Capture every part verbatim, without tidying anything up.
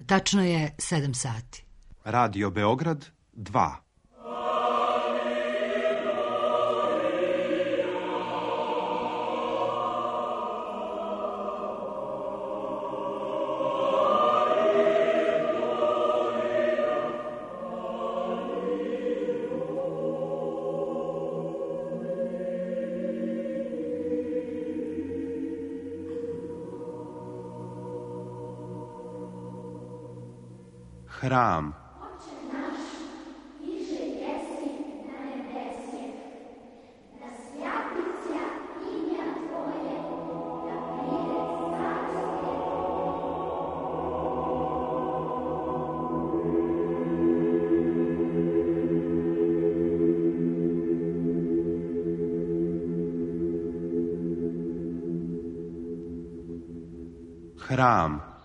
Tačno je sedam sati. Radio Beograd dva. Hram. Hram.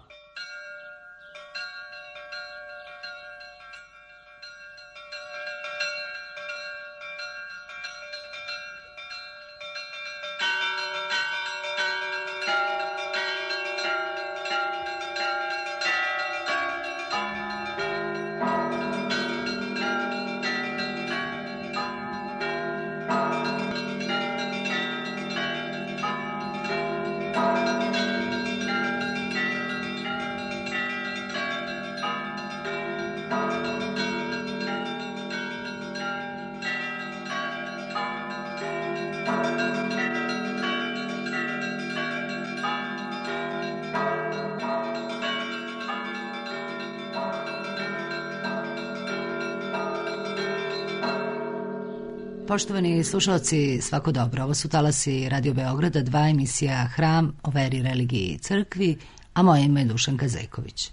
Poštovani slušalci, svako dobro. Ovo su talasi Radio Beograda, dva, emisija Hram o veri, religiji i crkvi, a moje ime je Dušanka Zejković.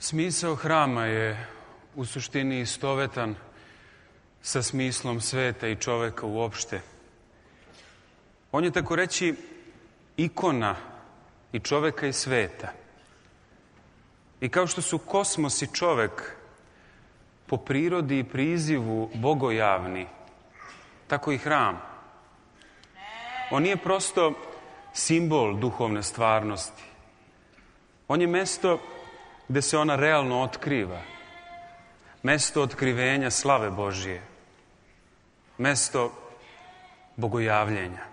Smisao hrama je u suštini istovetan sa smislom sveta i čoveka uopšte. On je, tako reći, ikona i čoveka i sveta. I kao što su kosmos i čovek po prirodi i prizivu bogojavni, tako i hram. On nije prosto simbol duhovne stvarnosti. On je mesto gde se ona realno otkriva. Mesto otkrivenja slave Božije. Mesto bogojavljenja.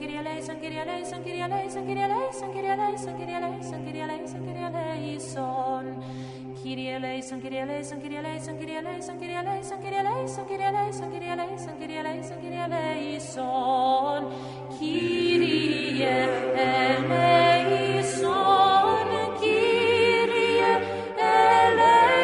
Kyrie eleison, Kyrie eleison, Kyrie eleison, Kyrie eleison, Kyrie eleison, Kyrie eleison, Kyrie eleison, Kyrie eleison. Kyrie eleison, Kyrie eleison, Kyrie eleison, Kyrie eleison, Kyrie eleison, Kyrie eleison, Kyrie eleison, Kyrie eleison, Kyrie eleison, Kyrie eleison. Kyrie eleison, Kyrie eleison, Kyrie eleison.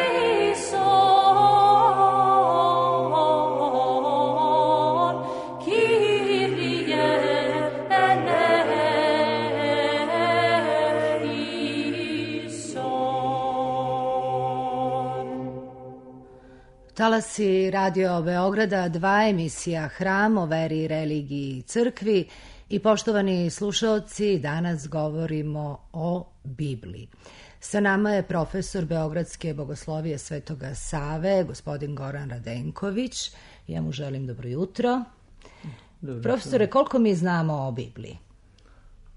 Talasi Radio Beograda, dva, emisija Hram o veri i religiji i crkvi. I poštovani slušaoci, danas govorimo o Bibliji. Sa nama je profesor Beogradske bogoslovije Svetoga Save, gospodin Goran Radenković. Ja mu želim dobro jutro. Dobro, profesore, koliko mi znamo o Bibliji?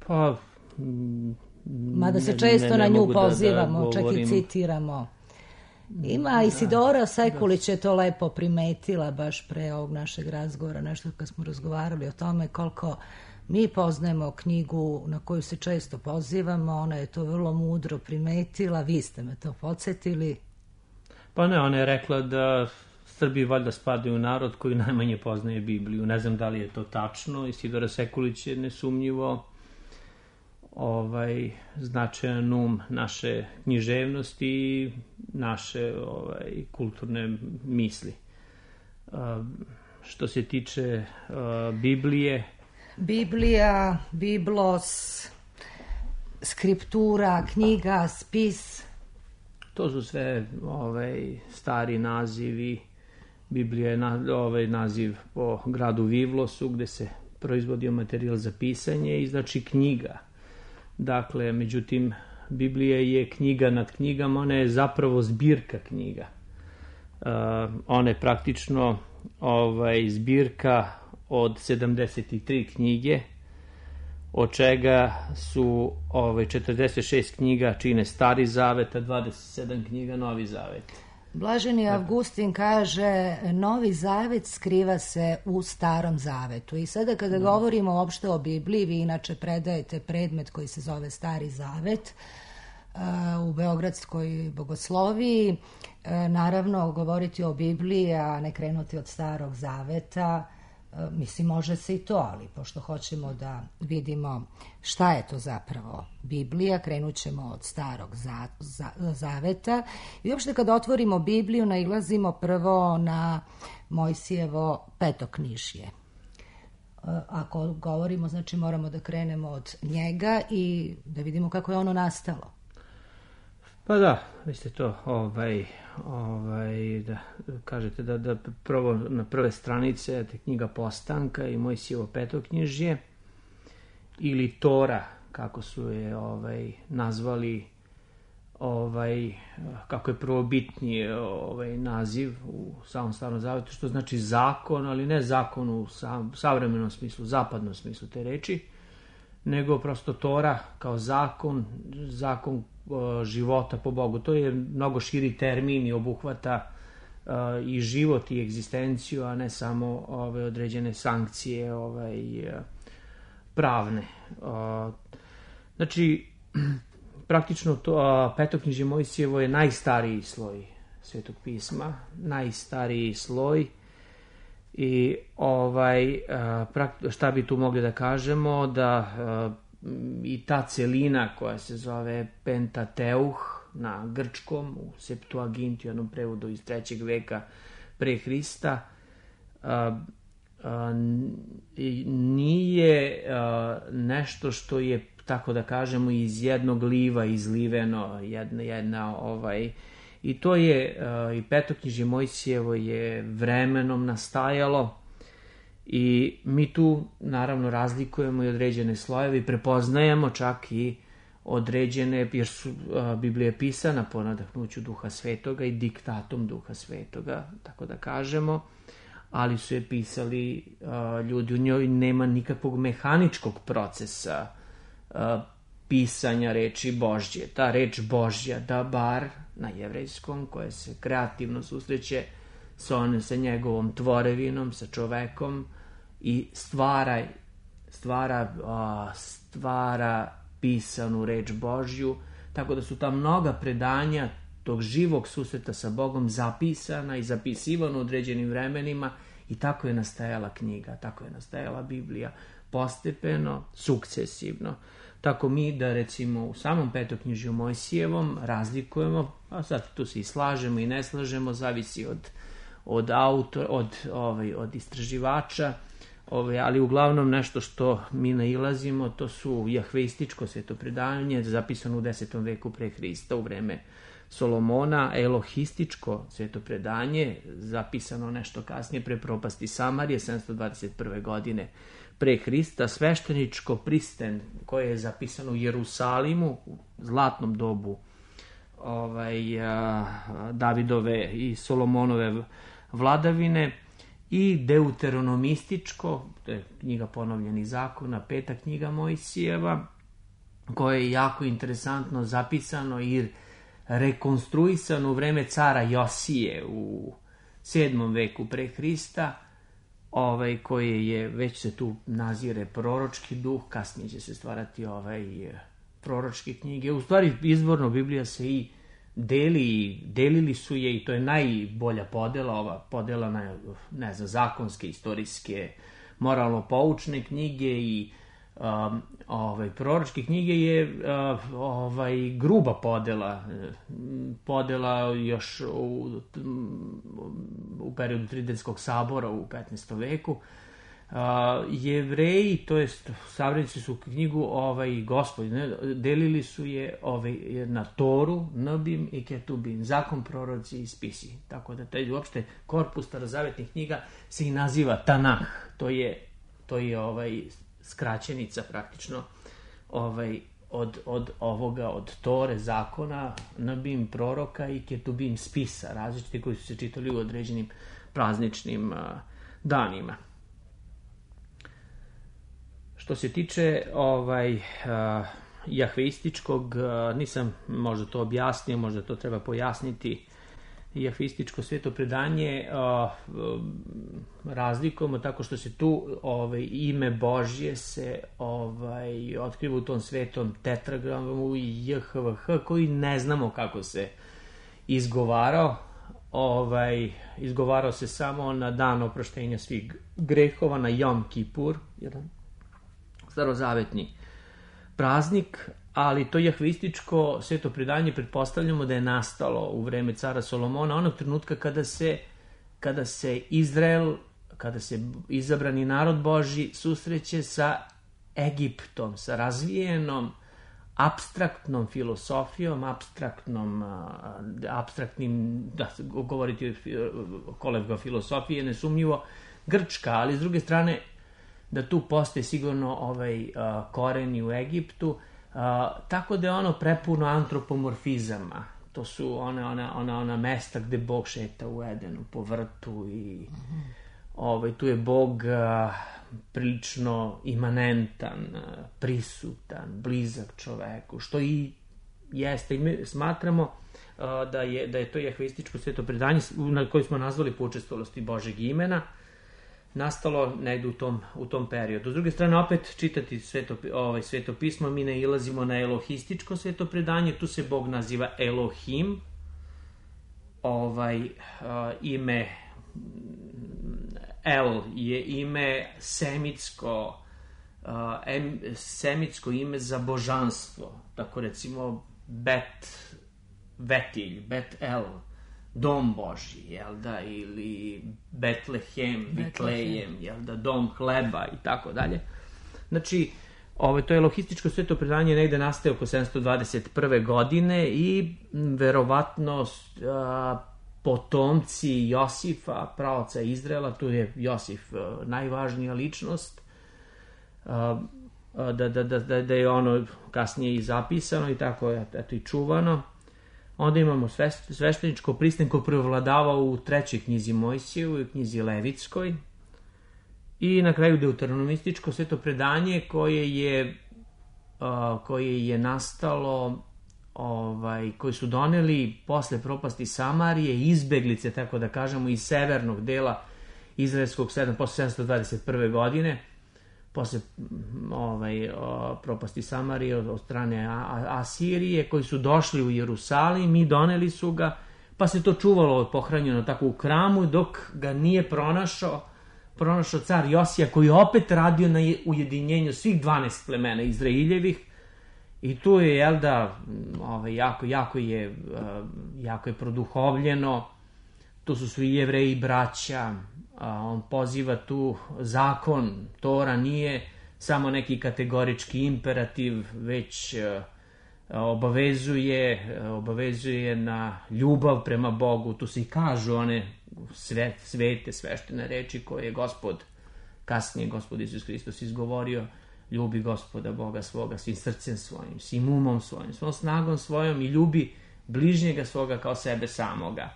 Pa... Mada se često ne, ne, na nju pozivamo, da, da čak i citiramo. Ima Isidora Sekulić je to lepo primetila baš pre ovog našeg razgovora, nešto kad smo razgovarali o tome koliko mi poznajemo knjigu na koju se često pozivamo, ona je to vrlo mudro primetila, vi ste me to podsjetili. Pa ne, ona je rekla da Srbi valjda spadaju u narod koji najmanje poznaje Bibliju. Ne znam da li je to tačno. Isidora Sekulić je nesumnjivo ovaj, značajan um naše književnosti i naše ovaj, kulturne misli. Uh, što se tiče uh, Biblije... Biblija, Biblos, skriptura, knjiga, spis. To su sve ovaj, stari nazivi. Biblija je na, ovaj, naziv po gradu Vivlosu gde se proizvodio materijal za pisanje i znači knjiga. Dakle, međutim, Biblija je knjiga nad knjigama, ona je zapravo zbirka knjiga. Uh, ona je praktično ovaj, zbirka od sedamdeset tri knjige, od čega su ovaj, četrdeset šest knjiga čine Stari Zavet, a dvadeset sedam knjiga Novi Zavet. Blaženi Avgustin kaže, Novi Zavet skriva se u Starom Zavetu. I sada kada no. govorimo uopšte o Bibliji, vi inače predajete predmet koji se zove Stari Zavet uh, u Beogradskoj bogosloviji. Uh, naravno, govoriti o Bibliji, a ne krenuti od Starog Zaveta, mislim, može se i to, ali pošto hoćemo da vidimo šta je to zapravo Biblija, krenut ćemo od Starog za, za, Zaveta. I uopšte kad otvorimo Bibliju, nailazimo prvo na Mojsijevo petoknižje. Ako govorimo, znači moramo da krenemo od njega i da vidimo kako je ono nastalo. Pa da, vi ste to, ovaj, ovaj, da kažete da, da prvo na prve stranice te knjiga Postanka i Mojsijevo petoknjižje ili Tora, kako su je ovaj, nazvali, ovaj, kako je prvobitni ovaj, naziv u samom Starom Zavetu, što znači zakon, ali ne zakon u sam, savremenom smislu, zapadnom smislu te reči, nego prosto Tora kao zakon, zakon života po Bogu. To je mnogo širi termin i obuhvata uh, i život i egzistenciju, a ne samo ove određene sankcije ovaj, pravne. Uh, znači, praktično to uh, petoknjižje Mojsijevo je najstariji sloj Svetog pisma, najstariji sloj i ovaj, uh, šta bi tu mogli da kažemo, da uh, i ta celina koja se zove Pentateuh na grčkom, u Septuaginti, u jednom prevodu iz trećeg veka pre Hrista, a, a, nije a, nešto što je, tako da kažemo, iz jednog liva izliveno, jedna, jedna ovaj, i to je, a, i petoknjižje Mojsijevo je vremenom nastajalo. I mi tu naravno razlikujemo i određene slojeve i prepoznajemo čak i određene, jer su a, Biblija pisana po nadahnuću Duha Svetoga i diktatom Duha Svetoga, tako da kažemo, ali su je pisali a, ljudi, u njoj nema nikakvog mehaničkog procesa a, pisanja reči Božje. Ta reč Božja, dabar na jevrejskom, koja se kreativno susreće sa, on, sa njegovom tvorevinom, sa čovekom i stvara stvara, a, stvara pisanu reč Božju, tako da su ta mnoga predanja tog živog susreta sa Bogom zapisana i zapisivana u određenim vremenima i tako je nastajala knjiga, tako je nastajala Biblija, postepeno, sukcesivno. Tako mi da recimo u samom petoknjižju Mojsijevom razlikujemo, a sad tu se i slažemo i ne slažemo, zavisi od, od autora, od, ovaj, od istraživača, ovaj, ali uglavnom nešto što mi nailazimo, to su jahveističko svetopredanje, zapisano u desetom veku pre Hrista u vreme Solomona, elohističko svetopredanje, zapisano nešto kasnije pre propasti Samarije, sedamsto dvadeset prve godine pre Hrista, svešteničko pristen koje je zapisano u Jerusalimu u zlatnom dobu ovaj, a, Davidove i Solomonove vladavine, i deuteronomističko, to je knjiga ponovljenih zakona, peta knjiga Mojsijeva, koje je jako interesantno zapisano i rekonstruisano u vreme cara Josije u sedmom veku pre Hrista, ovaj, koje je, već se tu nazire proročki duh, kasnije će se stvarati ovaj, proročke knjige. U stvari, izvorno Biblija se i deli, delili su je i to je najbolja podela, ova podela na, ne znam, zakonske, istorijske, moralno-poučne knjige i um, ovaj, proročke knjige je uh, ovaj, gruba podela, podela još u, u periodu Tridentskog sabora u petnaestom veku. Uh, Jevreji, to jest savremenici su knjigu ovaj, Gospod, ne, delili su je ovaj, na Toru, Nbim i Ketubim, zakon, proroci i spisi. Tako da taj uopšte korpus starozavetnih knjiga se i naziva Tanah. To je, to je ovaj, skraćenica praktično ovaj, od, od ovoga, od Tore, zakona, Nbim, proroka i Ketubim, spisa, različiti koji su se čitali u određenim prazničnim uh, danima. Što se tiče ovaj, uh, jahveističkog, uh, nisam možda to objasnio, možda to treba pojasniti, jahveističko svetopredanje uh, razlikujemo tako što se tu ovaj, ime Božje se ovaj, otkriva u tom svetom tetragramu J H V H koji ne znamo kako se izgovarao. Ovaj, izgovarao se samo na dan oproštenja svih grehova, na Jom Kipur, jedan starozavetni praznik, ali to jahveističko svetopredanje pretpostavljamo da je nastalo u vreme cara Solomona, onog trenutka kada se, kada se Izrael, kada se izabrani narod Božji susreće sa Egiptom, sa razvijenom apstraktnom filosofijom, apstraktnom, apstraktnim, da govoriti o kolevga filosofije, nesumnjivo grčka, ali s druge strane da tu postoje sigurno ovaj, uh, koreni u Egiptu, uh, tako da je ono prepuno antropomorfizama. To su ona, ona, ona, ona mesta gde Bog šeta u Edenu, po vrtu i mm-hmm. ovaj, tu je Bog uh, prilično imanentan, uh, prisutan, blizak čoveku, što i jeste. I mi smatramo uh, da, je, da je to jahveističko svetopredanje na koje smo nazvali po učestalosti Božeg imena, nastalo negdje u tom, u tom periodu. S druge strane, opet čitati sveto, ovaj, svetopismo, mi ne ilazimo na elohističko svetopredanje, tu se Bog naziva Elohim, ovaj, uh, ime El je ime semitsko, uh, em, semitsko ime za božanstvo, tako recimo Bet, Betilj, Bet El, Dom Božji, jel da, ili Betlehem, Vitlejem, jel da, Dom hleba i tako dalje. Znači, ovo, to je elohističko svetopredanje negde nastaje oko sedamsto dvadeset prve godine i verovatno a, potomci Josifa, praoca Izraela, tu je Josif a, najvažnija ličnost, a, a, da, da, da, da je ono kasnije i zapisano i tako je, eto, i čuvano. Onda imamo svešteničko pristen koji prevladava u trećoj knjizi Mojsijevoj, u knjizi Levitskoj. I na kraju deuteronomističko svetopredanje koje je, uh, koje je nastalo, ovaj, koji su doneli posle propasti Samarije, izbeglice, tako da kažemo, iz severnog dela izraelskog sedam, posle sedamsto dvadeset prve godine. posle ovaj, o, propasti Samarije od, od strane A, A, Asirije, koji su došli u Jerusalim i doneli su ga, pa se to čuvalo pohranjeno tako u hramu, dok ga nije pronašao, pronašao car Josija, koji je opet radio na ujedinjenju svih dvanaest plemena Izraeljevih. I tu je, jel da, ovaj, jako, jako, je, jako je produhovljeno, tu su svi Jevreji braća, on poziva tu zakon, Tora nije samo neki kategorički imperativ, već obavezuje, obavezuje na ljubav prema Bogu. Tu se i kažu one sve, svete, sveštene reči koje je Gospod, kasnije Gospod Isus Hristos izgovorio: ljubi Gospoda Boga svoga svim srcem svojim, svim umom svojim, svom snagom svojom i ljubi bližnjega svoga kao sebe samoga.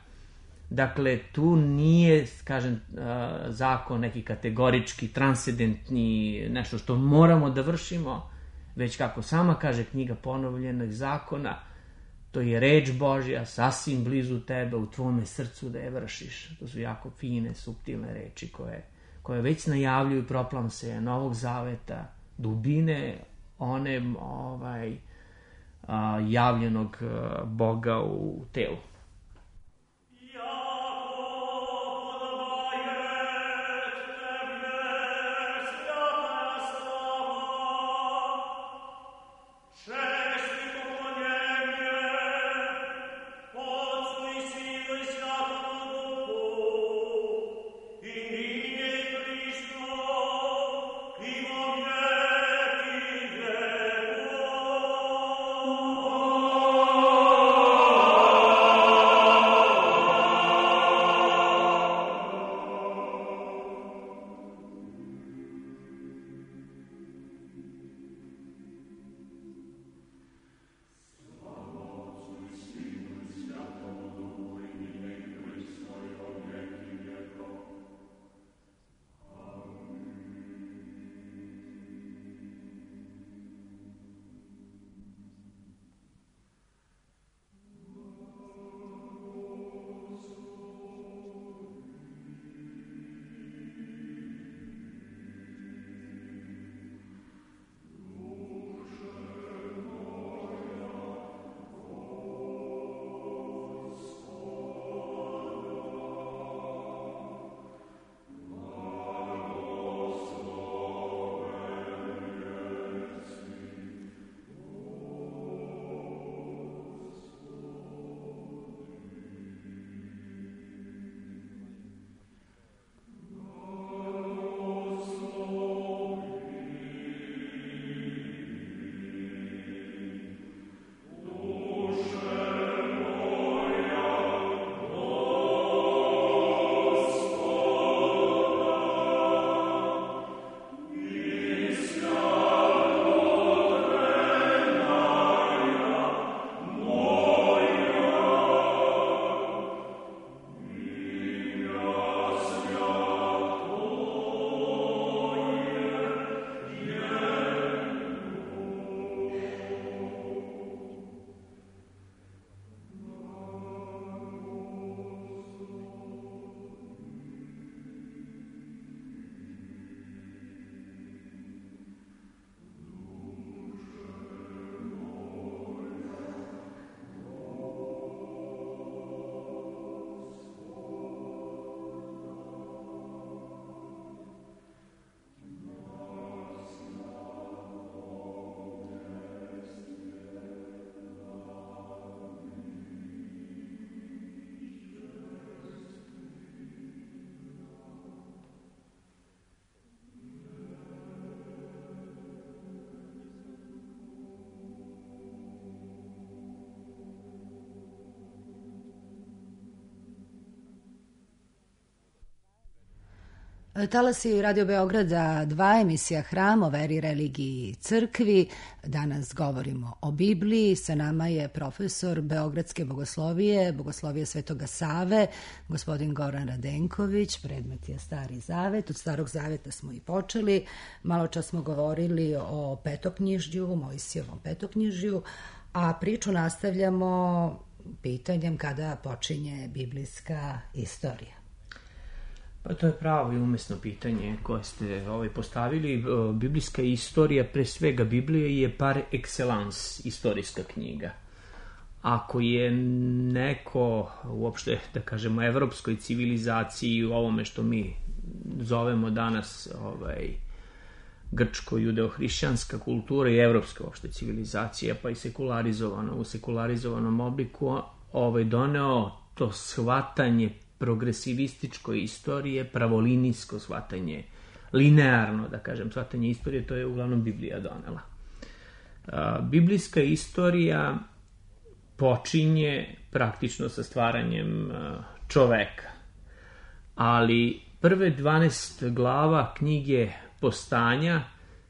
Dakle, tu nije, kažem, zakon neki kategorički, transcendentni, nešto što moramo da vršimo, već kako sama kaže knjiga ponovljenih zakona, to je reč Božja sasvim blizu tebe, u tvome srcu da je vršiš. To su jako fine, suptilne reči koje, koje već najavljuju proplamse Novog Zaveta, dubine one ovaj, a, javljenog Boga u telu. Talasi Radio Beograda dva, emisija Hram o veri, religiji i crkvi. Danas govorimo o Bibliji. Sa nama je profesor Beogradske bogoslovije, bogoslovije Svetoga Save, gospodin Goran Radenković. Predmet je Stari Zavet. Od Starog Zaveta smo i počeli. Malo čas smo govorili o petoknjižju, Mojsijevom petoknjižju, a priču nastavljamo pitanjem kada počinje biblijska istorija. Pa to je pravo i umesno pitanje koje ste ovaj, postavili. Biblijska istorija, pre svega Biblije, je par excellence istorijska knjiga. Ako je neko, uopšte, da kažemo, evropskoj civilizaciji, u ovome što mi zovemo danas ovaj, grčko-judeo-hrišćanska kultura i evropska uopšte civilizacija, pa i sekularizovano, u sekularizovanom obliku, ovaj, doneo to shvatanje progresivističko istorije, pravolinijsko shvatanje, linearno, da kažem, shvatanje istorije, to je uglavnom Biblija donela. A, biblijska istorija počinje praktično sa stvaranjem a, čoveka, ali prve dvanaest glava knjige Postanja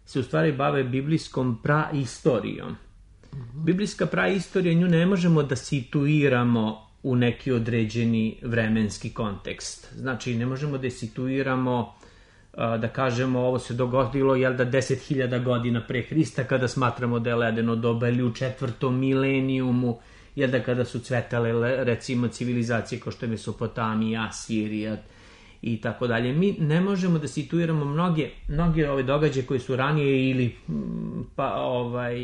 se u stvari bave biblijskom praistorijom. Mm-hmm. Biblijska praistorija, nju ne možemo da situiramo u neki određeni vremenski kontekst. Znači, ne možemo da situiramo, da kažemo, ovo se dogodilo, jel da, deset hiljada godina pre Hrista, kada smatramo da je ledeno doba, ili u četvrtom milenijumu, jel da, kada su cvetale, recimo, civilizacije kao što je Mesopotamija, Asirija i tako dalje. Mi ne možemo da situiramo mnoge, mnoge ove događaje koji su ranije ili pa ovaj...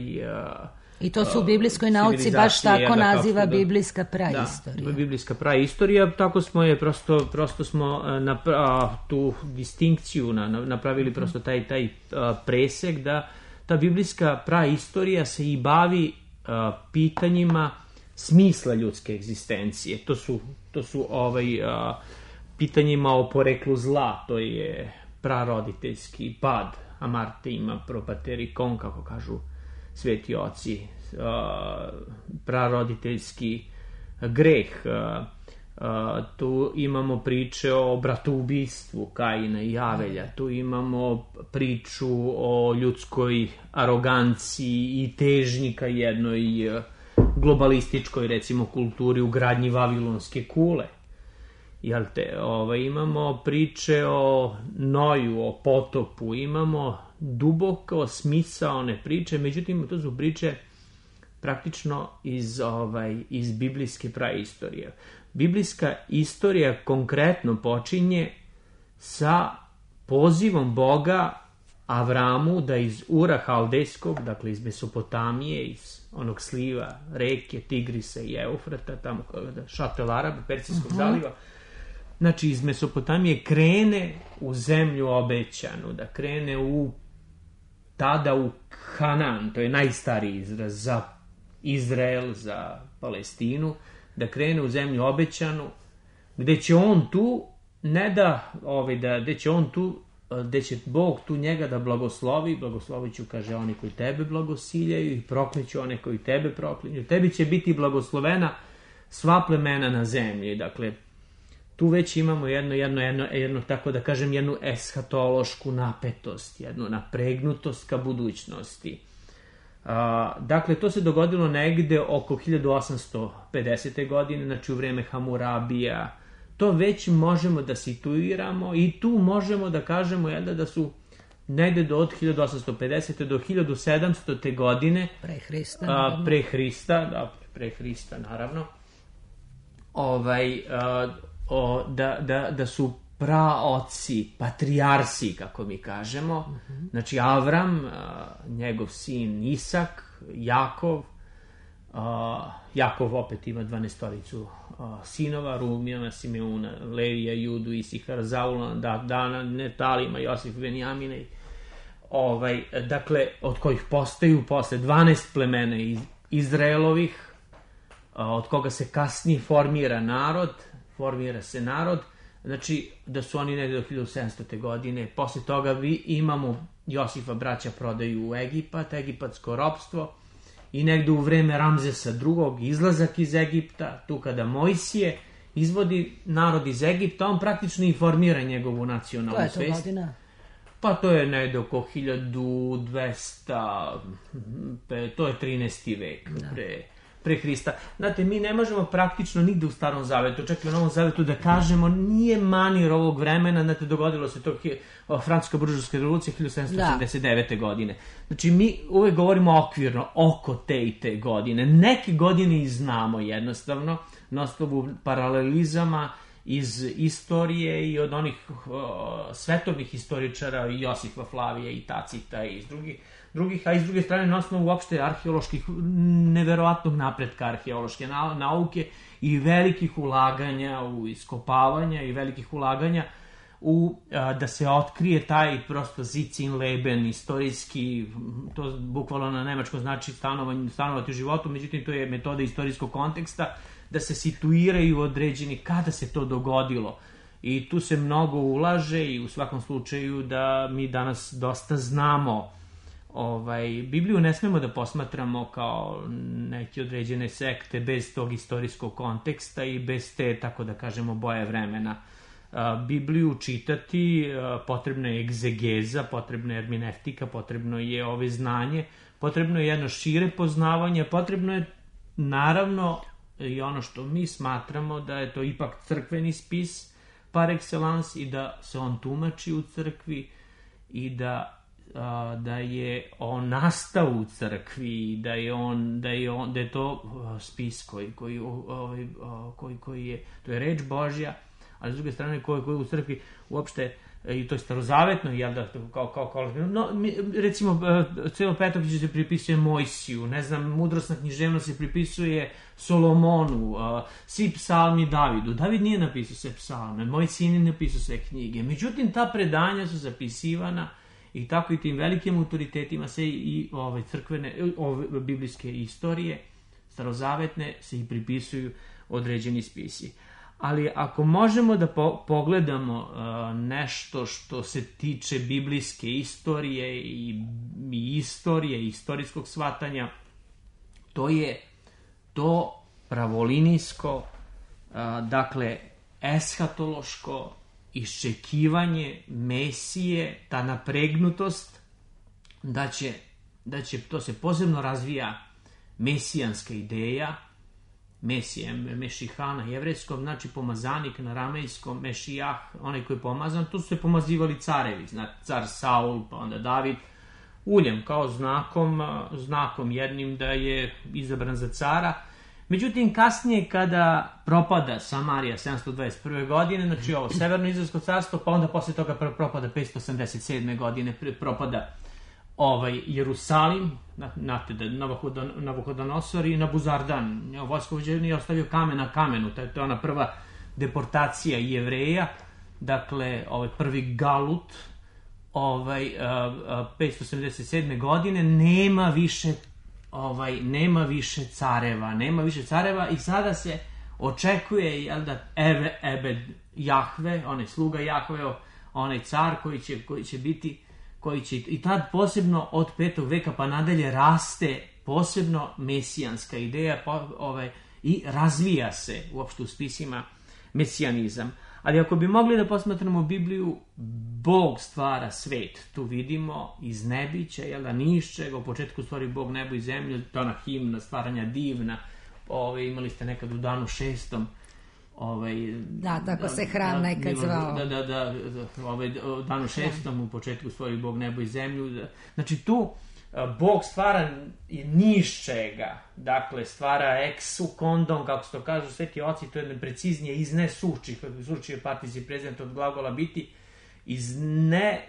I to su u biblijskoj nauci baš tako naziva biblijska praistorija. Da, biblijska praistorija, tako smo je, prosto, prosto smo napra, tu distinkciju napravili, prosto taj, taj presek da ta biblijska praistorija se i bavi pitanjima smisla ljudske egzistencije. To su, to su ovaj, pitanjima o poreklu zla, to je praroditeljski pad, Amarte ima propaterikon, kako kažu sveti oci, uh, praroditeljski greh. Uh, uh, tu imamo priče o bratoubistvu Kaina i Avelja, tu imamo priču o ljudskoj aroganciji i težnji ka jednoj uh, globalističkoj, recimo, kulturi u gradnji Vavilonske kule. Jel te, ovaj, imamo priče o Noju, o potopu, imamo duboko smisaone priče, međutim, to su priče praktično iz, ovaj, iz biblijske praistorije. Biblijska istorija konkretno počinje sa pozivom Boga Avramu da iz Ura Haldejskog, dakle iz Mesopotamije, iz onog sliva reke Tigrisa i Eufrata, tamo šatel Araba, Persijskog uh-huh. zaliva, znači iz Mesopotamije krene u zemlju obećanu, da krene u tada u Hanan, to je najstariji izraz za Izrael, za Palestinu, da krene u zemlju obećanu, gde će on tu, ne da, ovaj, da, gde će on tu, gde će Bog tu njega da blagoslovi, blagoslovit ću, kaže, oni koji tebe blagosiljaju i prokliću one koji tebe proklinju. Tebi će biti blagoslovena sva plemena na zemlji. Dakle, tu već imamo jedno, jedno, jedno, jedno, tako da kažem, jednu eshatološku napetost, jednu napregnutost ka budućnosti. A, dakle, to se dogodilo negde oko hiljadu osamsto pedesete godine, znači u vreme Hamurabija. To već možemo da situiramo i tu možemo da kažemo jedno, da su negde do od hiljadu osamsto pedesete do hiljadu sedamstote godine pre Hrista, a, pre Hrista, da, pre Hrista naravno, ovaj, a, o, da, da, da su praoci, patrijarsi, kako mi kažemo, uh-huh. znači Avram, a, njegov sin Isak, Jakov, a, Jakov opet ima dvanaestoricu sinova, Rumijana, Simeuna, Levija, Judu, Isihara, Zaulana, Dana, Netalima, Josif, Benjamina, ovaj, dakle, od kojih postaju posle dvanaest plemena iz Izraelovih, od koga se kasnije formira narod, formira se narod, znači da su oni negde do hiljadu sedamstote godine, posle toga vi imamo Josifa braća prodaju u Egipat, egipatsko ropstvo, i negde u vreme Ramzesa drugog izlazak iz Egipta, tu kada Mojsije izvodi narod iz Egipta, on praktično i formira njegovu nacionalnu svest. Koja je to godina? Pa to je negde oko hiljadu dvesta, to je trinaesti vek pre, pre Hrista. Znate, mi ne možemo praktično nigde u Starom Zavetu, čak i u Novom Zavetu, da kažemo nije manir ovog vremena, znate, dogodilo se to Francuska buržovska revolucija hiljadu sedamsto osamdeset devete. godine. Znači, mi uvek govorimo okvirno oko te i te godine. Neke godine i znamo jednostavno, na osnovu paralelizama iz istorije i od onih uh, svetovnih historičara, Josifa Flavija i Tacita i iz drugih, drugih, a iz druge strane na osnovu uopšte arheoloških, neverovatnog napretka arheološke nauke i velikih ulaganja u iskopavanja i velikih ulaganja u, a, da se otkrije taj prosto Sitzenleben, istorijski, to bukvalno na nemačkom znači stanovanje, stanovati u životu, međutim to je metoda istorijskog konteksta, da se situiraju određeni kada se to dogodilo. I tu se mnogo ulaže i u svakom slučaju da mi danas dosta znamo. Ovaj, Bibliju ne smemo da posmatramo kao neke određene sekte bez tog istorijskog konteksta i bez te, tako da kažemo, boje vremena. Bibliju čitati potrebna je egzegeza, potrebna je hermeneutika, potrebno je ove znanje, potrebno je jedno šire poznavanje, potrebno je naravno i ono što mi smatramo da je to ipak crkveni spis par excellence i da se on tumači u crkvi i da da je on nastao u crkvi, da je on da je on da je to spis koji koji ovaj koji koji je to je reč Božja, ali s druge strane koji koji u crkvi uopšte i to je starozavetno, jel da, kao, kao, kao, no, recimo, celo Petoknjižje se pripisuje Mojsiju, ne znam, mudrosna književnost se pripisuje Solomonu, svi psalmi Davidu. David nije napisao sve psalme, Mojsije nije napisao sve knjige, međutim, ta predanja su zapisivana i tako i tim velikim autoritetima se i ove crkvene, ove biblijske istorije, starozavetne, se i pripisuju određeni spisi. Ali ako možemo da po- pogledamo uh, nešto što se tiče biblijske istorije i, i istorije i istorijskog shvatanja, to je to pravolinijsko, uh, dakle, eshatološko iščekivanje Mesije, ta napregnutost da će, da će to se posebno razvija mesijanska ideja, Mesije, Mešihana, jevrejskom, znači pomazanik na ramejskom, Mešijah, onaj koji je pomazan, tu su se pomazivali carevi, znači car Saul, pa onda David, uljem kao znakom, znakom jednim da je izabran za cara. Međutim, kasnije kada propada Samarija sedamsto dvadeset prve godine, znači ovo severno izraelsko carstvo, pa onda posle toga propada petsto osamdeset sedme godine, propada ovaj Jerusalim, znate da Navuhodonosor i Nabuzardan, vojskovođa nije ostavio kamen na kamenu, to je ona prva deportacija Jevreja, dakle ovaj prvi galut, ovaj petsto osamdeset sedme godine, nema više ovaj nema više careva, nema više careva i sada se očekuje, jel da, Ebe, Ebed Jahve, onaj sluga Jahve, onaj car koji će, koji će biti koji će, i tad posebno od petog veka pa nadalje raste posebno mesijanska ideja po, ovaj, i razvija se uopšte u spisima mesijanizam. Ali ako bi mogli da posmatramo Bibliju, Bog stvara svet. Tu vidimo iz nebića, jel da, nišćega, u početku stvori Bog nebo i zemlju, to ona himna stvaranja divna, ovaj, imali ste nekad u danu šestom, Ovaj, da, tako da, se hram da, nekad zvao. Da, da, da, da ovaj, danu šestom u početku stvori Bog nebo i zemlju. Da, znači tu Bog stvara nišćega, dakle stvara ex secundum, kako se to kažu sveti oci, to je preciznije iz ne suči, suči je particip prezent od glagola biti, iz ne,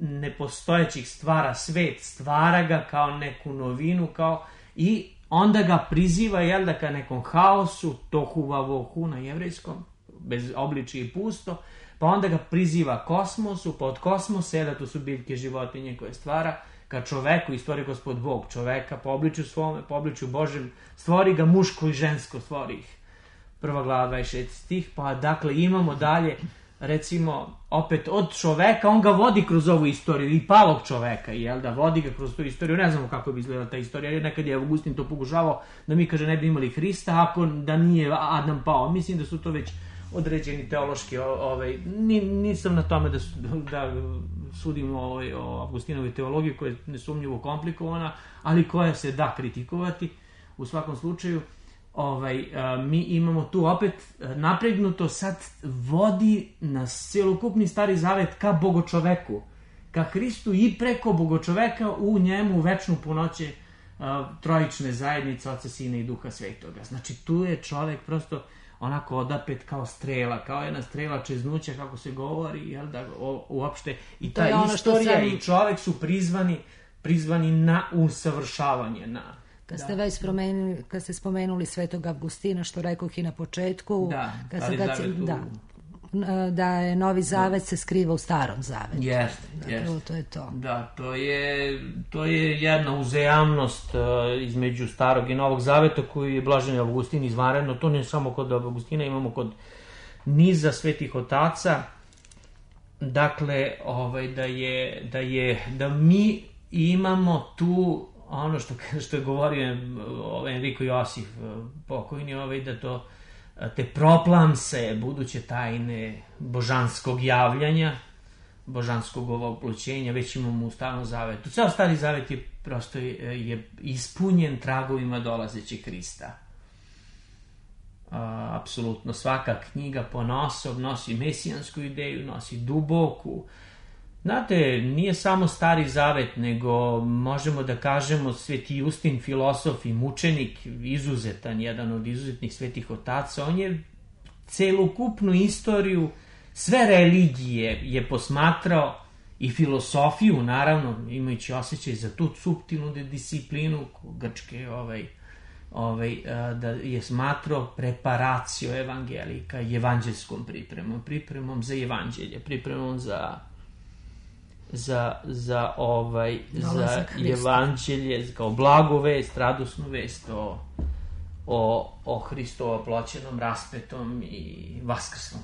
nepostojećih stvara svet, stvara ga kao neku novinu, kao i onda ga priziva, jel da, ka nekom haosu, tohu vavohu na jevrejskom, bez obličja i pusto, pa onda ga priziva kosmosu, pa od kosmosa, jel da, to su biljke, životinje koje stvara, ka čoveku i stvori Gospod Bog čoveka, po obličju svome, po obličju Božem, stvori ga muško i žensko, stvori ih. Prva glava dvadeset šesti stih, pa dakle imamo dalje, recimo, opet od čoveka, on ga vodi kroz ovu istoriju, i palog čoveka, jel da, vodi ga kroz tu istoriju, ne znamo kako bi izgledala ta istorija, jer nekad je Augustin to pokušavao da mi, kaže, ne bi imali Hrista, ako da nije Adam pao. Mislim da su to već određeni teološki, ovaj, nisam na tome da, da sudim ovaj, o Augustinovoj teologiji, koja je nesumnjivo komplikovana, ali koja se da kritikovati. U svakom slučaju, ovaj, mi imamo tu opet napregnuto, sad vodi nas celokupni Stari Zavet ka bogočoveku, ka Hristu i preko bogočoveka u njemu večnu punoće trojične zajednice Oca, Sina i Duha Svetoga. Znači tu je čovek prosto, onako odapet kao strela, kao jedna strela čeznuća, kako se govori, jel da, o, uopšte, i ta istorija sam... i čovek su prizvani, prizvani na usavršavanje, na... Kad da. ste već spomenuli, kad ste spomenuli Svetog Avgustina, što rekoh i na početku, da, kad se, kad se, da, da je Novi Zavet se skriva u Starom Zavetu. Jeste, dakle, jeste. To je to. Da, to je, to je jedna uzajamnost uh, između Starog i Novog Zaveta koju je Blaženi Avgustin izvanredno. To ne samo kod Avgustina, imamo kod niza svetih otaca. Dakle, ovaj, da je, da je, da mi imamo tu ono što, što je govorio ovaj, Enrico Josif pokojni, ovaj, da to te proplamse, buduće tajne božanskog javljanja, božanskog oploćenja, već imamo u Starom Zavetu. Ceo Stari Zavet je prosto je ispunjen tragovima dolazećeg Hrista. A, apsolutno svaka knjiga ponosom nosi mesijansku ideju, nosi duboku. Znate, nije samo Stari Zavet, nego možemo da kažemo Sveti Justin, filosof i mučenik, izuzetan, jedan od izuzetnih svetih otaca. On je celokupnu istoriju, sve religije je posmatrao i filosofiju, naravno, imajući osjećaj za tu suptilnu disciplinu grčke, ovaj, ovaj, da je smatrao preparacio evangelika, evanđelskom pripremom, pripremom za evanđelje, pripremom za... za, za, ovaj, za evanđelje, kao blagu vest, radosnu vest o, o, o Hristovo ploćenom, raspetom i vaskrslom.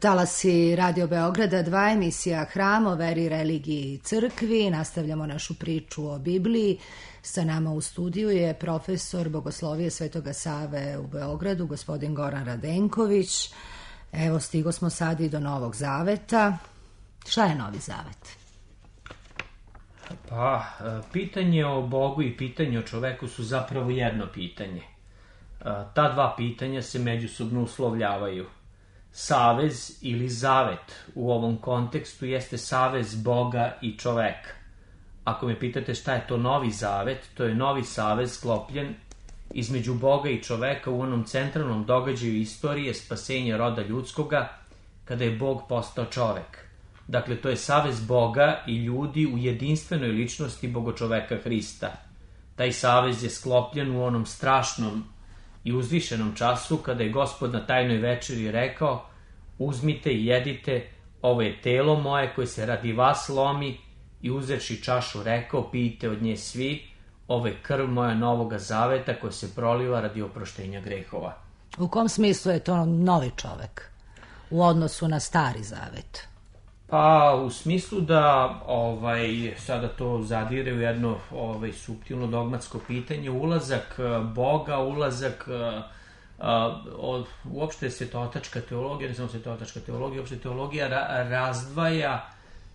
Talasi Radio Beograda dva, emisija Hram o veri, religiji i crkvi. Nastavljamo našu priču o Bibliji. Sa nama u studiju je profesor Bogoslovije Svetoga Save u Beogradu, gospodin Goran Radenković. Evo, stigo smo sad i do Novog Zaveta. Šta je Novi Zavet? Pa, pitanje o Bogu i pitanje o čoveku su zapravo jedno pitanje. Ta dva pitanja se međusobno uslovljavaju. Savez ili zavet u ovom kontekstu jeste savez Boga i čoveka. Ako me pitate šta je to Novi Zavet, to je novi savez sklopljen između Boga i čoveka u onom centralnom događaju istorije spasenja roda ljudskoga, kada je Bog postao čovek. Dakle, to je savez Boga i ljudi u jedinstvenoj ličnosti Bogočoveka Hrista. Taj savez je sklopljen u onom strašnom i uzvišenom času kada je Gospod na tajnoj večeri rekao: uzmite i jedite, ovo je telo moje koje se radi vas lomi, i uzevši čašu rekao: pijte od nje svi, ovo je krv moja novoga zaveta koja se proliva radi oproštenja grehova. U kom smislu je to novi čovek u odnosu na stari zavet? Pa u smislu da ovaj, sada to zadire u jedno ovaj, suptilno dogmatsko pitanje, ulazak Boga, ulazak a, od, uopšte svetotačka teologija, ne samo svetotačka teologija, uopšte teologija ra, razdvaja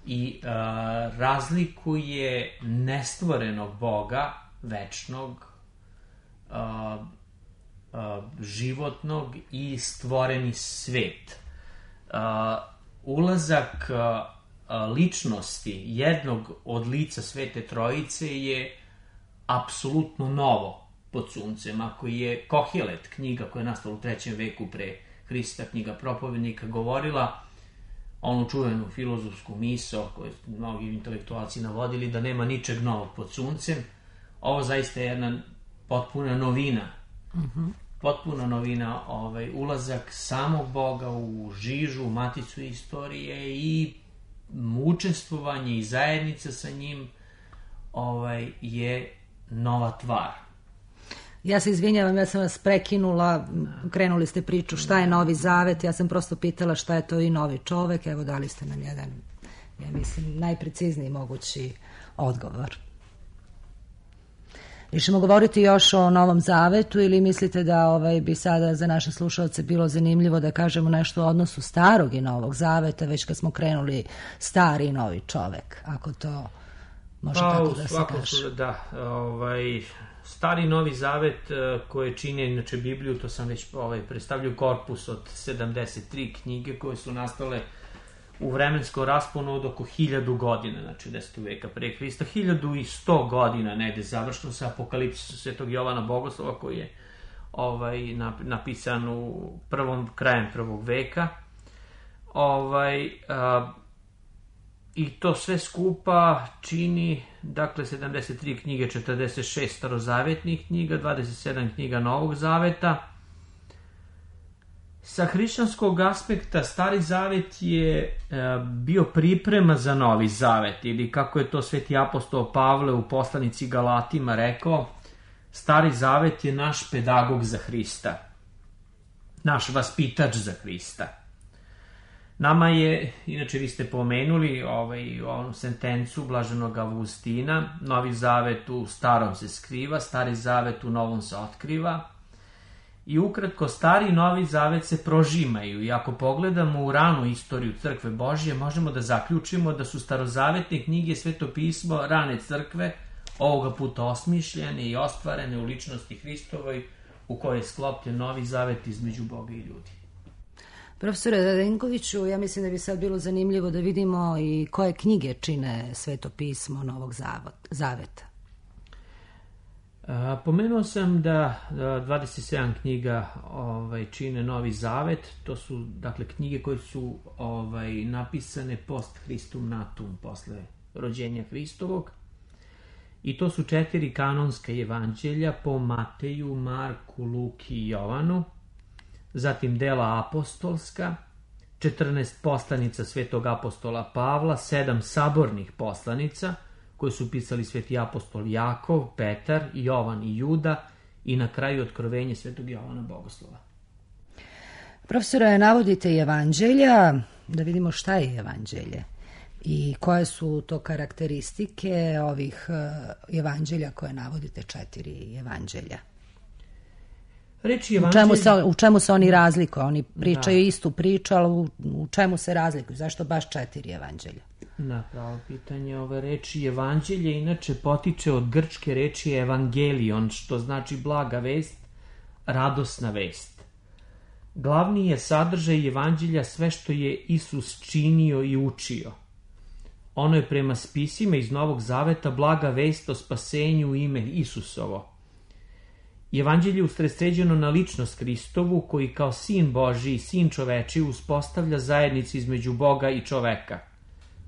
i a, razlikuje nestvorenog Boga, večnog, a, a, životnog i stvoreni svet. A, ulazak a, a, ličnosti jednog od lica Svete Trojice je apsolutno novo pod suncem. Ako je Kohelet, knjiga koja je nastala u trećem veku pre Hrista, knjiga propovednika, govorila onu čuvenu filozofsku misao koju mnogi intelektualci navodili da nema ničeg novog pod suncem, ovo zaista je jedna potpuna novina. Mm-hmm. Potpuna novina, ovaj, ulazak samog Boga u žižu, u maticu istorije i učestvovanje i zajednica sa njim ovaj, je nova tvar. Ja se izvinjavam, ja sam vas prekinula, krenuli ste priču šta je Novi Zavet, ja sam prosto pitala šta je to i novi čovek, evo dali ste nam jedan, ja mislim, najprecizniji mogući odgovor. Išemo govoriti još o Novom Zavetu ili mislite da ovaj, bi sada za naše slušalce bilo zanimljivo da kažemo nešto o odnosu starog i Novog Zaveta, već kad smo krenuli stari i novi čovek, ako to može pa, tako da se kaže. Da, ovaj, stari i Novi Zavet koje čine inače Bibliju, to sam već ovaj, predstavljaju korpus od sedamdeset tri knjige koje su nastale u vremenskom rasponu od oko hiljadu godina, znači desetog veka pre Hrista, hiljadu i sto godina negde završno sa Apokalipsisom Svetog Jovana Bogoslova koji je ovaj, napisan u prvom, krajem prvog veka. Ovaj, a, i to sve skupa čini, dakle, sedamdeset tri knjige, četrdeset šest starozavetnih knjiga, dvadeset sedam knjiga Novog Zaveta. Sa hrišćanskog aspekta Stari Zavet je e, bio priprema za Novi Zavet, ili kako je to Sveti apostol Pavle u poslanici Galatima rekao, Stari Zavet je naš pedagog za Hrista, naš vaspitač za Hrista. Nama je, inače vi ste pomenuli ovaj, onu sentencu blaženog Avgustina, Novi Zavet u Starom se skriva, Stari Zavet u Novom se otkriva. I ukratko, Stari i Novi Zavet se prožimaju i ako pogledamo u ranu istoriju Crkve Božje, možemo da zaključimo da su starozavetne knjige Sveto pismo rane crkve, ovoga puta osmišljene i ostvarene u ličnosti Hristovoj, u kojoj je sklopljen Novi Zavet između Boga i ljudi. Profesore Radenkoviću, ja mislim da bi sad bilo zanimljivo da vidimo i koje knjige čine Sveto pismo Novog Zaveta. Pomenuo sam da dvadeset sedam knjiga ovaj, čine Novi Zavet, to su dakle knjige koje su ovaj, napisane post Christum natum, posle rođenja Hristovog, i to su četiri kanonska evanđelja po Mateju, Marku, Luki i Jovanu, zatim dela apostolska, četrnaest poslanica Svetog apostola Pavla, sedam sabornih poslanica koje su pisali Sveti apostol Jakov, Petar, Jovan i Juda, i na kraju Otkrovenje Svetog Jovana Bogoslova. Profesore, navodite evanđelja, da vidimo šta je evanđelje i koje su to karakteristike ovih evanđelja koje navodite, četiri evanđelja. Reči evanđelja... U čemu se, u čemu se oni razlikuju? Oni pričaju da. istu priču, ali u, u čemu se razlikuju? Zašto baš četiri evanđelja? Na pravo pitanje, ove reči evanđelje inače potiče od grčke reči evangelion, što znači blaga vest, radosna vest. Glavni je sadržaj evanđelja sve što je Isus činio i učio. Ono je prema spisima iz Novog Zaveta blaga vest o spasenju u ime Isusovo. Evanđelje je usredsređeno na ličnost Hristovu, koji kao sin Božji i sin čoveči uspostavlja zajednicu između Boga i čoveka.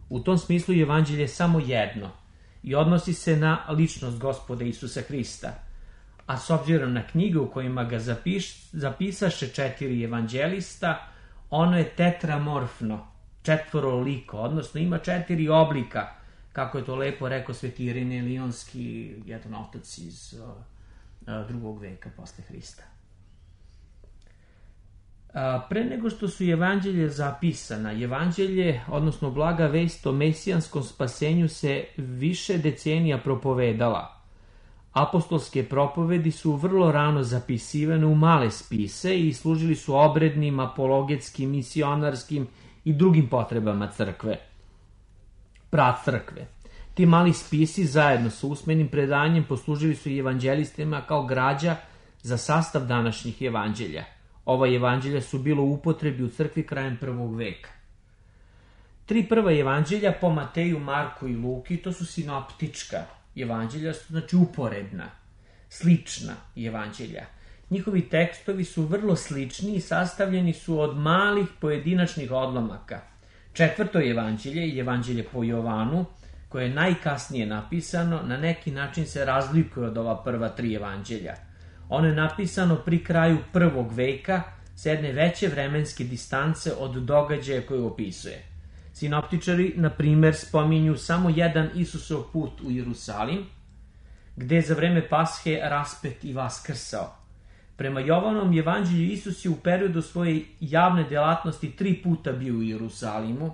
U tom smislu Evanđelje je samo jedno i odnosi se na ličnost Gospoda Isusa Hrista. A s obzirom na knjige u kojima ga zapiš, zapisaše četiri evanđelista, ono je tetramorfno, četvoroliko, odnosno ima četiri oblika, kako je to lepo rekao sveti Irinej Lionski, jedan otac iz uh, drugog veka posle Hrista. A, pre nego što su evanđelje zapisana, evanđelje, odnosno blaga vest o mesijanskom spasenju se više decenija propovedala. Apostolske propovedi su vrlo rano zapisivane u male spise i služili su obrednim, apologetskim, misionarskim i drugim potrebama crkve. Pracrkve. Ti mali spisi zajedno sa usmenim predanjem poslužili su i evanđelistima kao građa za sastav današnjih evanđelja. Ova evanđelja su bilo u upotrebi u crkvi krajem prvog veka. Tri prva evanđelja po Mateju, Marku i Luki, to su sinoptička evanđelja, su znači uporedna, slična evanđelja. Njihovi tekstovi su vrlo slični i sastavljeni su od malih pojedinačnih odlomaka. Četvrto evanđelje je evanđelje po Jovanu, koje je najkasnije napisano, na neki način se razlikuje od ova prva tri evanđelja. Ono je napisano pri kraju prvog veka s jedne veće vremenske distance od događaja koje opisuje. Sinoptičari, na primer, spominju samo jedan Isusov put u Jerusalim, gde je za vreme Pashe raspet i vaskrsao. Prema Jovanom evanđelju Isus je u periodu svoje javne delatnosti tri puta bio u Jerusalimu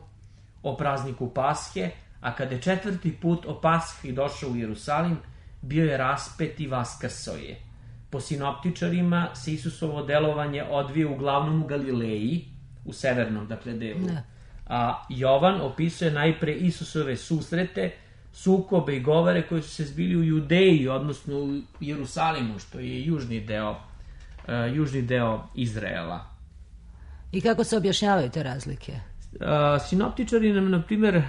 o prazniku Pashe, a kada je četvrti put o Pashi došao u Jerusalim, bio je raspet i vaskrsao je. Po sinoptičarima se Isusovo delovanje odvije uglavnom u Galileji, u severnom, dakle, delu. Ne. A Jovan opisuje najpre Isusove susrete, sukobe i govore koji su se zbili u Judeji, odnosno u Jerusalimu, što je južni deo, uh, južni deo Izraela. I kako se objašnjavaju te razlike? Uh, sinoptičari nam, na primjer, uh,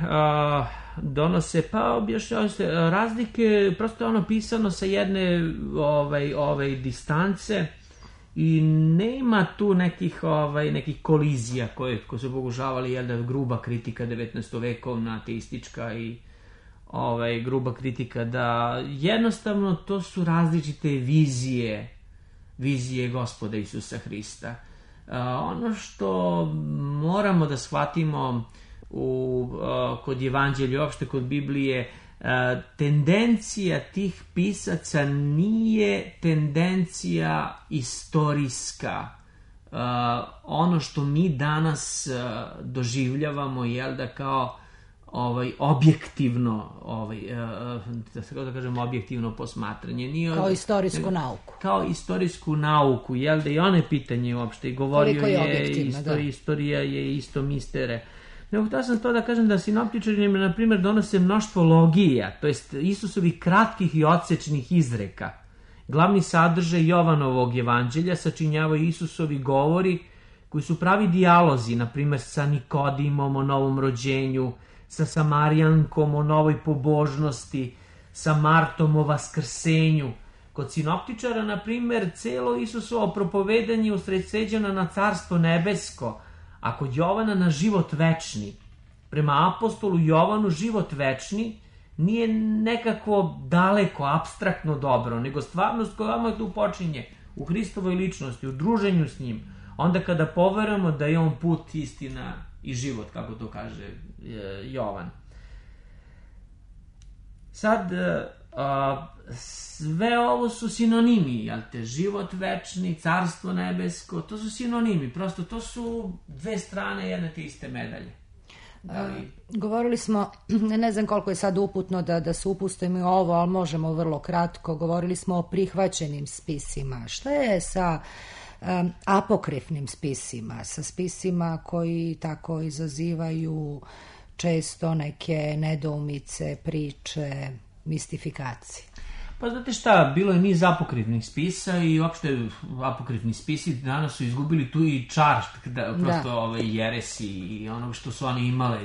donose, pa objašnjavaju se uh, razlike, prosto je ono pisano sa jedne ovaj, ovaj, distance i nema tu nekih, ovaj, nekih kolizija koje, koje su pokušavali, jel da, gruba kritika devetnaestovekovna, ateistička i ovaj, gruba kritika, da jednostavno to su različite vizije, vizije Gospoda Isusa Hrista. Uh, ono što moramo da shvatimo u, uh, kod evanđelja, uopšte kod Biblije, uh, tendencija tih pisaca nije tendencija istorijska. Uh, ono što mi danas uh, doživljavamo, jel da, kao ovaj objektivno, ovaj uh, da se da kažem objektivno posmatranje, nije kao istorijsku ne, nauku. Kao istorijsku nauku, jel da, i one pitanje uopšte, i govorio je, je istorija, istorija je isto mistere. Nego htio sam to da kažem da sinoptičari, na primjer, donose mnoštvo logija, to jest Isusovih kratkih i odsečnih izreka. Glavni sadržaj Jovanovog evanđelja sačinjavaju Isusovi govori koji su pravi dijalozi, na primjer sa Nikodimom o novom rođenju, sa Samarijankom o novoj pobožnosti, sa Martom o vaskrsenju. Kod sinoptičara, na primjer, celo Isusovo propovedanje usredsređeno na carstvo nebesko, a kod Jovana na život večni. Prema apostolu Jovanu život večni nije nekako daleko, apstraktno dobro, nego stvarnost koja vam tu počinje u Hristovoj ličnosti, u druženju s njim. Onda kada poverujemo da je on put, istina i život, kako to kaže Jovan. Sad, a, sve ovo su sinonimi, jel te, život večni, carstvo nebesko, to su sinonimi, prosto to su dve strane jedne te iste medalje. Da li... Govorili smo, ne znam koliko je sad uputno da, da se upustimo i ovo, ali možemo vrlo kratko, govorili smo o prihvaćenim spisima. Šta je sa um, apokrifnim spisima, sa spisima koji tako izazivaju često neke nedoumice, priče, mistifikacije? Pa znate šta, bilo je niz apokrifnih spisa i uopšte apokrifni spisi danas su izgubili tu i čar, da, prosto da. Ove jeresi i ono što su oni imale,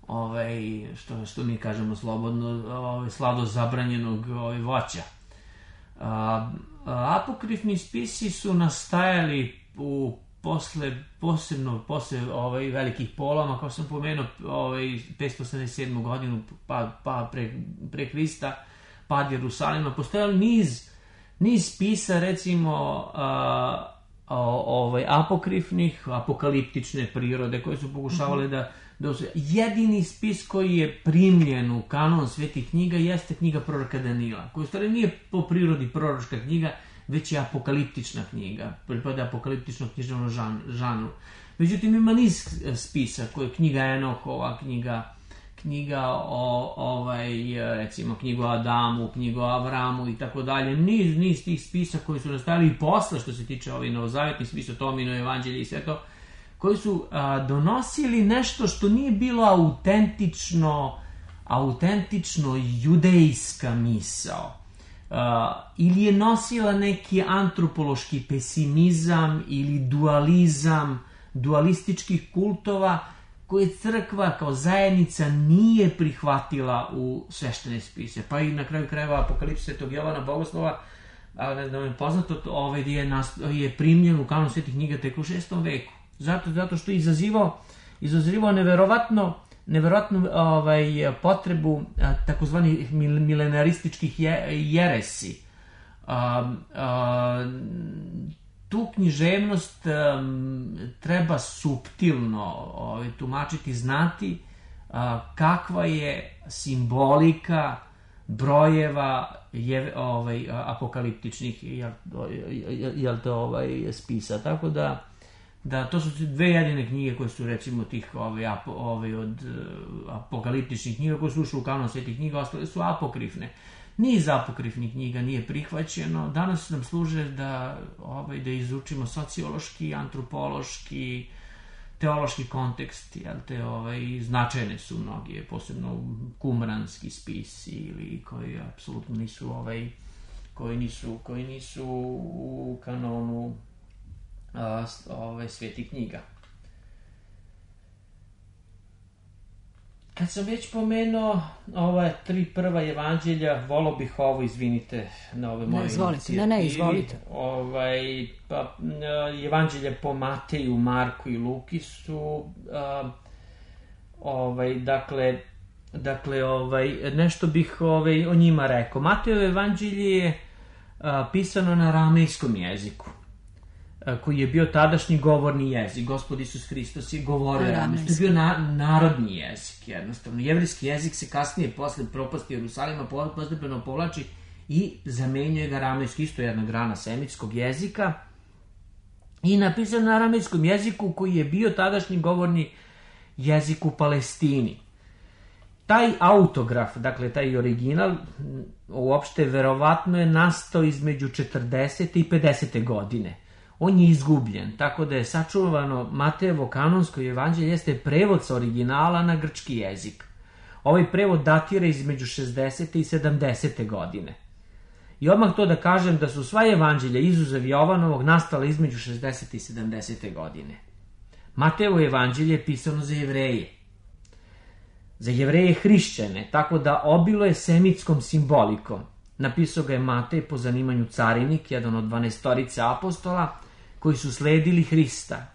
ove, što, što mi kažemo slobodno, ove, slado zabranjenog ove, voća. A, a, apokrifni spisi su nastajali u posle, posebno posle ovaj, velikih poloma, kao sam pomenuo, ovaj, petsto osamdeset sedmu godinu pa, pa pre, pre Krista, pad Jerusalima, postojali niz, niz spisa, recimo, a, ovaj, apokrifnih, apokaliptične prirode, koje su pokušavale mm-hmm. da, da... Jedini spis koji je primljen u kanon svetih knjiga jeste knjiga proroka Danila, koja u stvari nije po prirodi proročka knjiga, već je apokaliptična knjiga, pripada apokaliptičnom književnom žan, žanru. Međutim, ima niz spisa, koje je knjiga Enohova, knjiga, knjiga o, ovaj, recimo, knjigu o Adamu, knjigu o Avramu i tako dalje. Niz, niz tih spisa koji su nastali i posle, što se tiče ovih novozavetnih spisa, Tomino, Evanđelje i sve to, koji su a, donosili nešto što nije bilo autentično, autentično judejska misao. Uh, ili je nosila neki antropološki pesimizam ili dualizam dualističkih kultova koje crkva kao zajednica nije prihvatila u sveštene spise. Pa i na kraju krajeva Apokalipsa Svetog Jovana Bogoslova, a ne znam je poznato, ovaj je, nast, je primljen u kanon svetih knjiga tek u šestom veku. Zato, zato što je izazivao, izazivao neverovatno neverovatnu ovaj, potrebu takozvanih milenarističkih je, jeresi. A, a, tu književnost a, treba suptilno ovaj, tumačiti, znati a, kakva je simbolika brojeva je, ovaj, apokaliptičnih jel, jel, jel to ovaj, spisa. Tako da Da, to su dve jedine knjige koje su, recimo, tih ove, apo, ove od uh, apokaliptičnih knjiga koje su ušli u kanon svetih knjiga, ostale su apokrifne. Niz apokrifnih knjiga nije prihvaćeno. Danas nam služe da, ove, da izučimo sociološki, antropološki, teološki kontekst, jel te, ove, značajne su mnogi, posebno kumranski spisi ili koji apsolutno nisu, ove, koji nisu, koji nisu u kanonu ove svetih knjiga. Kad sam već pomenuo ova tri prva evanđelja, volao bih ovo, izvinite na ove moje inicijative. Ne, ne, izvolite. Ovaj, pa, evanđelja po Mateju, Marku i Luki su a, ovaj, dakle, dakle ovaj, nešto bih ovaj, o njima rekao. Matejevo evanđelje je a, pisano na aramejskom jeziku, koji je bio tadašnji govorni jezik. Gospod Isus Hristos je govorio aramejski. To je bio na, narodni jezik, jednostavno. Jevrijski jezik se kasnije, posle propasti Jerusalima, postepeno povlači i zamenjuje ga aramejski, isto jedna grana semitskog jezika, i napisan na aramejskom jeziku koji je bio tadašnji govorni jezik u Palestini. Taj autograf, dakle taj original, uopšte verovatno je nastao između četrdesete i pedesete godine. On je izgubljen, tako da je sačuvano Matejevo kanonsko evanđelje jeste prevod sa originala na grčki jezik. Ovaj prevod datira između šezdesete i sedamdesete godine. I odmah to da kažem da su sva evanđelja izuzev Jovanovog nastala između šezdesete i sedamdesete godine. Matejevo evanđelje je pisano za Jevreje. Za Jevreje hrišćane, tako da obilo je semitskom simbolikom. Napisao ga je Matej, po zanimanju carinik, jedan od dvanaestorice apostola, koji su sledili Hrista.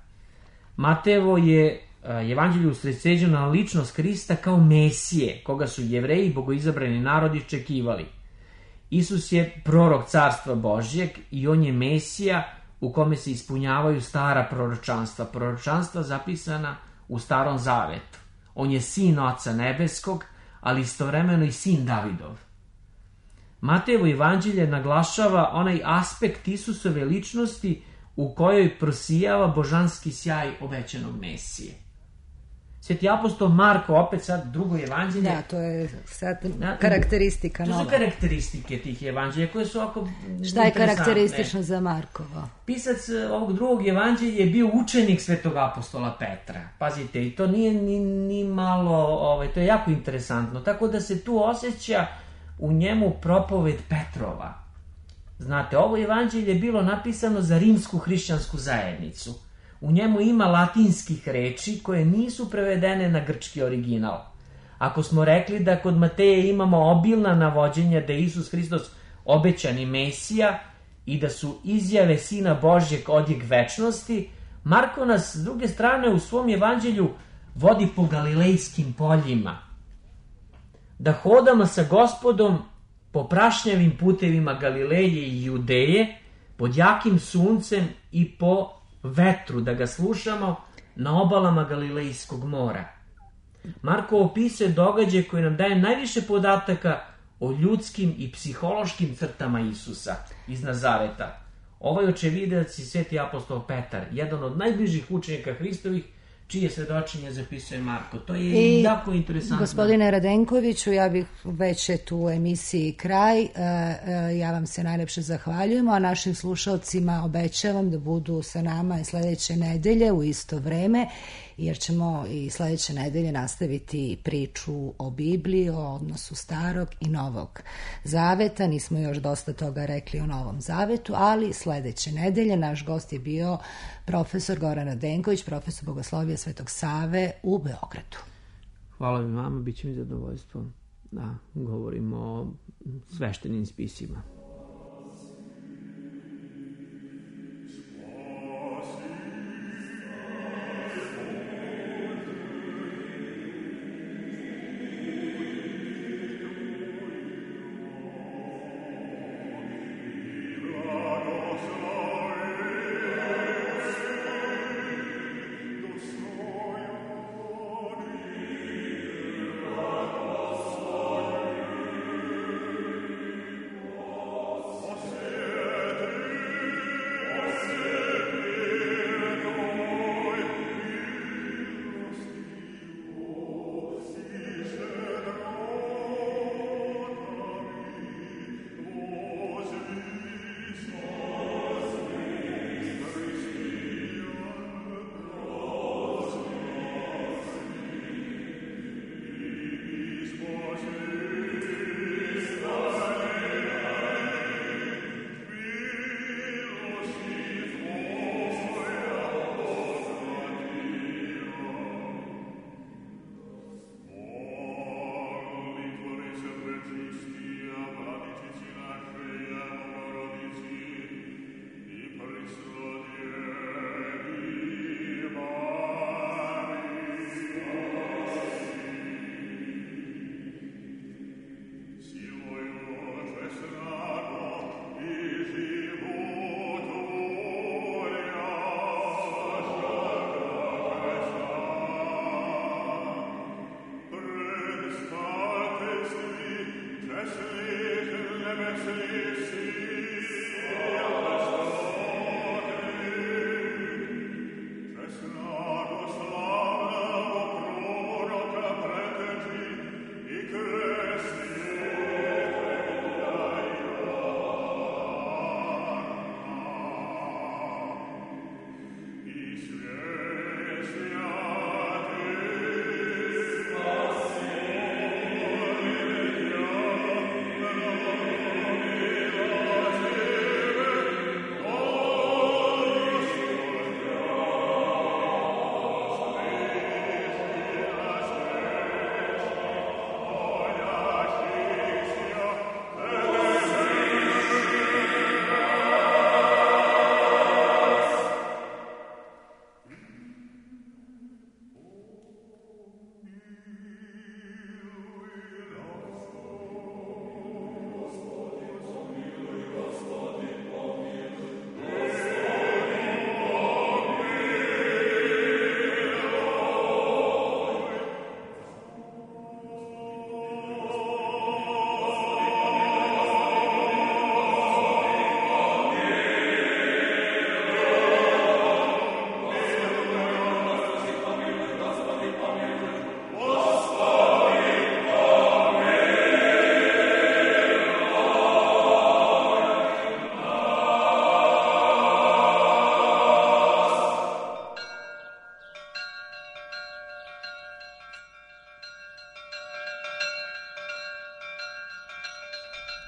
Matejevo je evanđelje usredsređeno na ličnost Hrista kao Mesije, koga su Jevreji i bogoizabrani narodi čekivali. Isus je prorok carstva Božjeg i on je Mesija u kome se ispunjavaju stara proročanstva, proročanstva zapisana u Starom Zavetu. On je sin Oca Nebeskog, ali istovremeno i sin Davidov. Matejevo evanđelje naglašava onaj aspekt Isusove ličnosti u kojoj prosijava božanski sjaj obećanog Mesije. Sveti apostol Marko, opet sad drugo evanđelje. Da, to je sad karakteristika nova. To su karakteristike tih evanđelja koje su ovako Šta je karakteristično za Markovo? Pisac ovog drugog evanđelja je bio učenik svetog apostola Petra. Pazite, i to nije ni, ni malo, ovaj, to je jako interesantno. Tako da se tu osjeća u njemu propoved Petrova. Znate, ovo evanđelje je bilo napisano za rimsku hrišćansku zajednicu. U njemu ima latinskih reči koje nisu prevedene na grčki original. Ako smo rekli da kod Mateje imamo obilna navođenja da je Isus Hristos obećani Mesija i da su izjave Sina Božjeg odjek večnosti, Marko nas s druge strane u svom evanđelju vodi po galilejskim poljima. Da hodamo sa Gospodom po prašnjavim putevima Galileje i Judeje, pod jakim suncem i po vetru, da ga slušamo na obalama Galilejskog mora. Marko opisuje događaj koji nam daje najviše podataka o ljudskim i psihološkim crtama Isusa iz Nazareta. Ovaj očevidac i sveti apostol Petar, jedan od najbližih učenika Hristovih, čije svedočenje zapisuje Marko. To je I, jako interesantno. Gospodine Radenkoviću, ja bih već je tu u emisiji kraj. Ja vam se najlepše zahvaljujem, a našim slušalcima obećavam da budu sa nama i sledeće nedelje u isto vreme, jer ćemo i sledeće nedelje nastaviti priču o Bibliji, o odnosu Starog i Novog Zaveta. Nismo još dosta toga rekli o Novom Zavetu, ali sledeće nedelje naš gost je bio profesor Goran Radenković, profesor Bogoslovija Svetog Save u Beogradu. Hvala mi vama, bit će mi zadovoljstvo da govorimo o sveštenim spisima.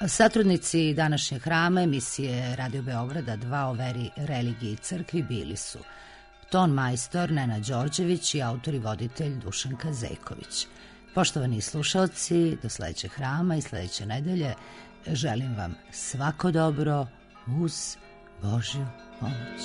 Satrudnici današnjeg hrama emisije Radio Beograda dva o veri, religiji i crkvi bili su ton majstor Nenad Đorđević i autor i voditelj Dušan Kazejković. Poštovani slušalci, do sledećeg hrama i sledeće nedelje želim vam svako dobro uz Božju pomoć.